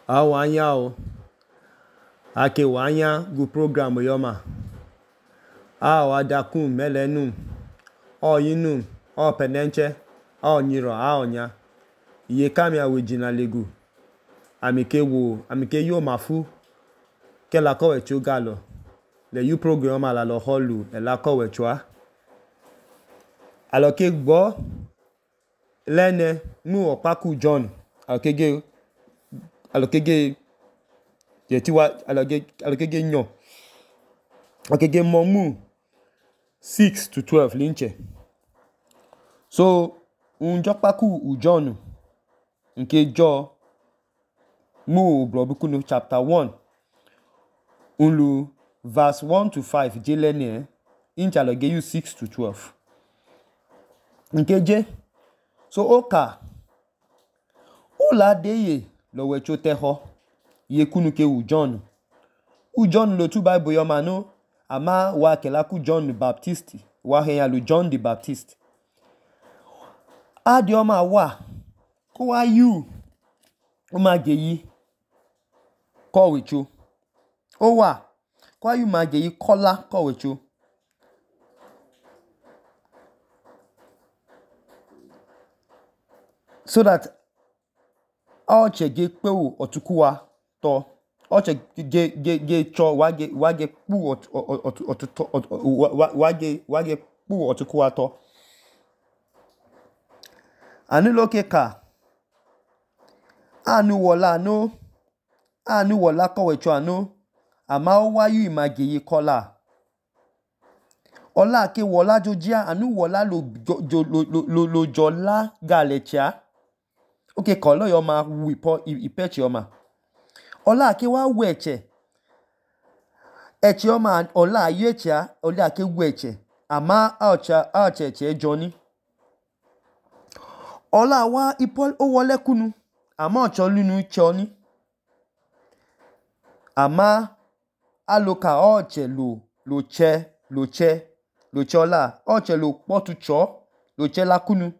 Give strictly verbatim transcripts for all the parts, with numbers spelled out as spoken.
Awanya o. Ake wanya gu program yoma. A wadakum melenum. O yinum. O penenche. O nyiro a onya. Iye kami awijina legu. Amike wo. Amike yo mafu. Ke la kowe chu galo. Le yu program la lo holu. E la kowe chua. Alo ke gbo. Lene. Mu opaku John. Alo ke ge. Alo ke ge. Yetiwa. Alo ke. Alo ke ge nyo. Alo ke ge momu. six to twelve linche. So. Unjokpaku u John. Nke jo. Mu blobukunu chapter one. Unlu. Verse one to five. Je lene. Incha alo ge yu six to twelve. Nke je. So oka. Ola deye. Lo wecho teho. Ye kunu ke u John. U John lo tu Bible yoma no. Ama wa kelaku John the Baptist. Wa henya lu John the Baptist. Adi yoma wa. Ko wa yu. Uma geyi. Ko wecho. O wa. Ko wa yu ma geyi kola ko wecho. So that oche ge kpewu otukuwa to. Oche ge ge ge cho wage wage pu otuto wage wage pu otukuwa to. Anu loke ka. Anu wola no. Anu wola ko wecho anu. Ama o wa yu imageyi kola. Ola ke wola jojia. Anu wola lo jo lo lo lo jola galecha. Okay, kolo yoma wipo ipeche yoma. Ola ke wa weche. Eche yoma ola yecha. Ola ke weche. Ama aocha aoche che Johnny. Ola wa ipol o wole kunu. Ama ocho lunu choni. Ama aloka oche lo lo che lo che lo chola. Oche lo potu cho lo che la kunu.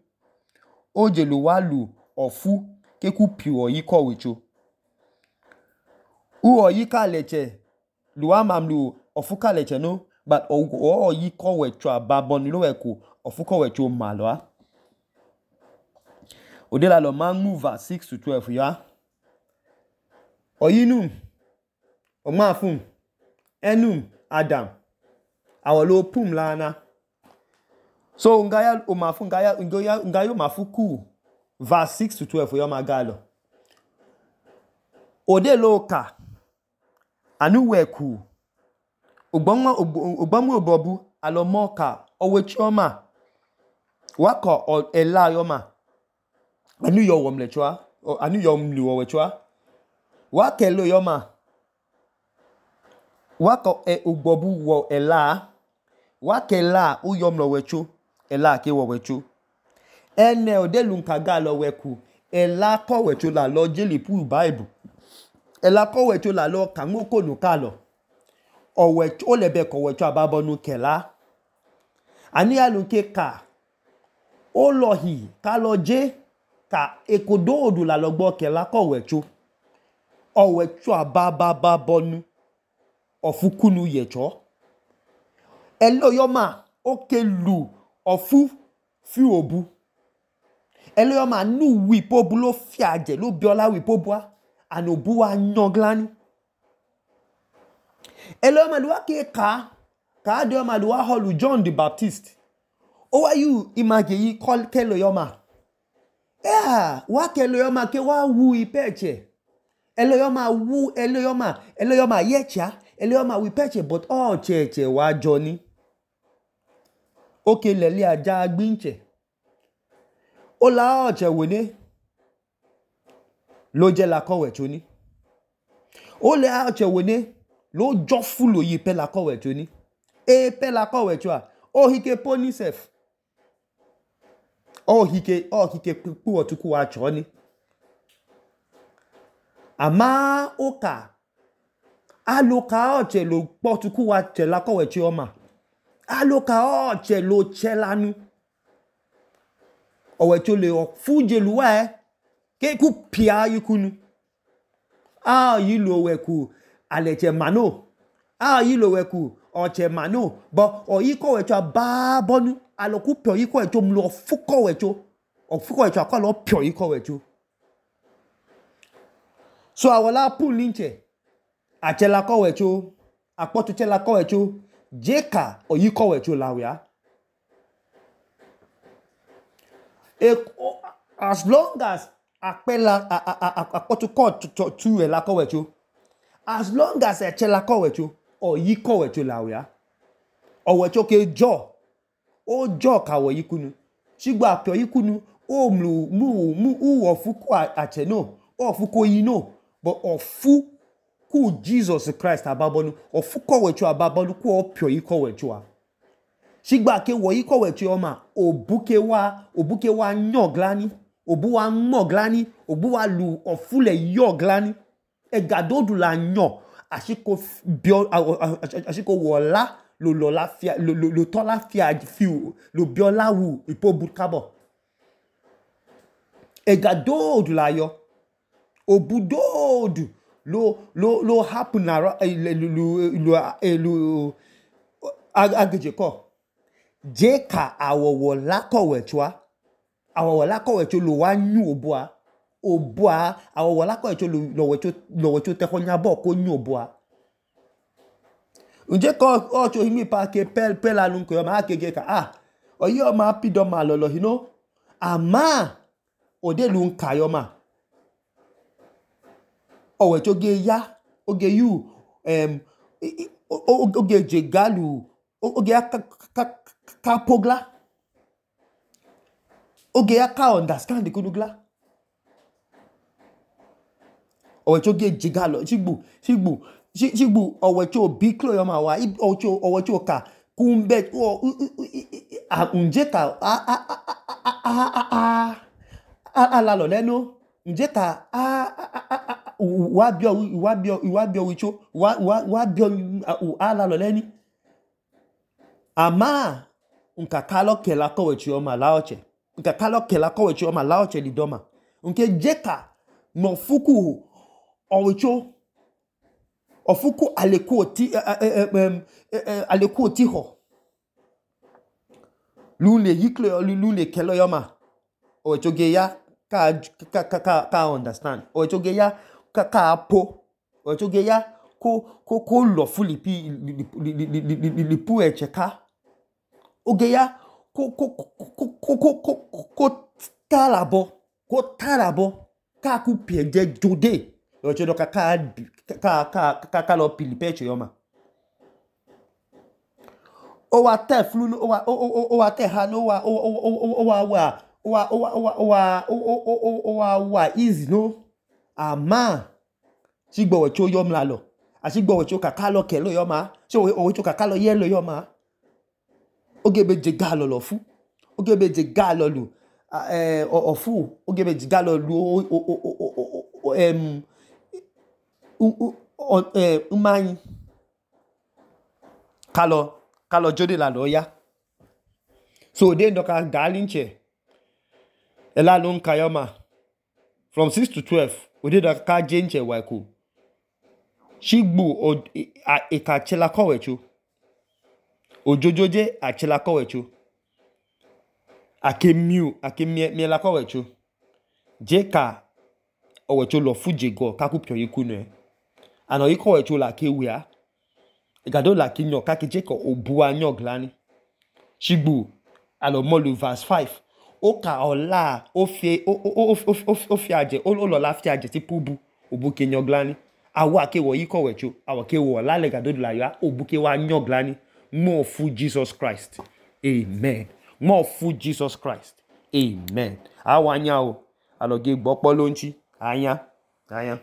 Oje lo wa lu ofu ke ku piwo yi ko wecho. U o yi ka leche. Lu wa mamlu ofu ka leche no. But o o yi ko wecho ababon lo eko. Ofu ko wecho malwa. Ode la lo man move six to twelve ya. Oyinum. Omafum. Enum. Adam. Awolo pum lana. So ngaya omafu ngaya ngaya ngayo mafuku. Verse six to twelve yo magalo. Ode loka. Anu weku. Ogbonmo ogbomu obobu alomoka owechioma. Wako o ela yoma. Anu yo womlechwa. Anu yo mlu owechwa. Wake lo yoma. Wako e ogbobu wo ela. Wake la u yomlo wecho. Ela ke wo wecho. Ene ode lunkaga lo weku. Ela ko wecho la lo jeli pu Bible. Ela ko wecho la lo kangoko no kalo. O wecho o lebe ko wecho ababonu kela. Ani alunke ka. O lohi ka lo je ka ekodo odu la lo gbo kela ko wecho. O wecho abababonu. Ofukunu yecho. Elo yoma oke lu ofu fi obu. Elo yoma nu wipobu lo fiaje lo biola wipobua. Anobu wa nyoglani. Elo yoma luwa ke ka. Ka ade yoma luwa holu John the Baptist. Owa yu image yi kol kelo yoma. Yeah, wa kelo yoma ke wa wu ipeche. Elo yoma wu elo yoma. Elo yoma yecha. Elo yoma wipeche but oh cheche wa Johnny. Oke leli aja agbinche. Ola oche wene. Lo je la kowe choni. Ole oche wene. Lo jofulo yi pe la kowe choni. E pe la kowe chwa. O hike poni sef. O hike, o hike pu otuku wa choni. Ama oka. Aloka oche lo potuku wa che la kowe chioma. Aloka oche lo chelanu. Owecho le o fuje luwa e. Ke ku pia yikunu. Ah, yi lo weku aleche mano. Ah, yi lo weku oche mano. But oyi ko wecho ababonu. Aloku pio yi ko wecho mlo fuko wecho. Ofuko wecho akolo pio yi ko wecho. So awola pu linche. Achela ko wecho. Akpotu chela ko wecho. Jeka oyi ko wecho lawia. As long as akpela akpotu ko tu ela ko wecho. As long as echela ko wecho. Oyi ko wecho lawia. O wecho ke jo. O jo ka wo yikunu. Shigba pio yikunu. O mlu mu mu u ofuku ache no. O ofuku yi no. But ofu ku Jesus Christ ababonu. Ofu ko wecho ababonu ku o pio yi ko wecho a. Shigba ke wo yi ko wecho oma. Obuke wa. Obuke wa nyoglani. Obu wa moglani. Obu wa lu ofule yoglani. Egadodu la nyo. Ashiko bio. Ashiko wola. Lo lo la fia. Lo lo lo to la fia. Fiu. Lo bio la wu. Ipo butkabo. Egadodu la yo. Obudodu. Lo lo lo happen na lo lo lo ageje ko. Jeka awowo la ko wechoa. Awowo la ko wecho lo wa nyu obua. Obua awowo la ko wecho lo wecho lo wecho te ko nyabo ko nyu obua. Unje ko ocho himi pa ke pel pel alun ko ma akege ka ah. Oyi o ma pido ma lolo you know. Ama ode lu nka yo ma. Owe choge ya, oge yu, um, oge jegalu, oge ya ka, ka, ka pogla, oge ya ka understand kunugla. Owe choge jegalo, shigbu, shigbu, shigbu, owe cho biklo yoma wa, ocho, owe cho ka, kumbe, o, unje ka, a, a, a, a, a, a, a, a, a, la lo leno, unje ka, a, a, a, a, wa bio wa bio wa bio wicho wa wa wa bio ala lo leni ama unka kalo kela ko wechi o ma laoche unka kalo kela ko wechi o ma laoche lidoma unke jeka no fuku o wicho ofuku aleku ti aleku ti ho lule yikle lule kelo yoma o wecho ge ya ka ka ka ka understand o wecho ge ya ka po o choge ya ko ko ko lo fuli pi li pu echeka oge ya ko ko ko ko ko ko tarabo ko tarabo ka ku pieje jode o chodo ka ka ka ka ka lo pili peche yoma o wa te flu o wa o wa te ha no wa o o wa wa o wa o wa o wa o wa wa easy no ama shigbo wecho yom lalo ashigbo wecho kakalo kelo yoma so wecho kakalo yelo yoma ogebe jegalo lofu ogebe jegalo lu eh ofu ogebe jegalo lu em u eh umani kalo kalo jode la lo ya so de ndoka galinche ela lo nka yoma from six to twelve ode da ka jenche waiku shigbu o eka chela ko wecho ojojoje a chela ko wecho akemiu akemie mi la ko wecho jeka o wecho lo fuje go ka ku pio yikunu e ano yiko wecho la ke wia igado la kinyo ka ke jeka obua nyoglani shigbu alo molu verse five oka ola ofie ofie aje o lo la fie aje ti pubu obuke nyoglani awa ke wo yiko wecho awa ke wo la le gado la ya obuke wa nyoglani more fu Jesus Christ amen more fu Jesus Christ amen awa nya o aloge gbopo lonchi anya anya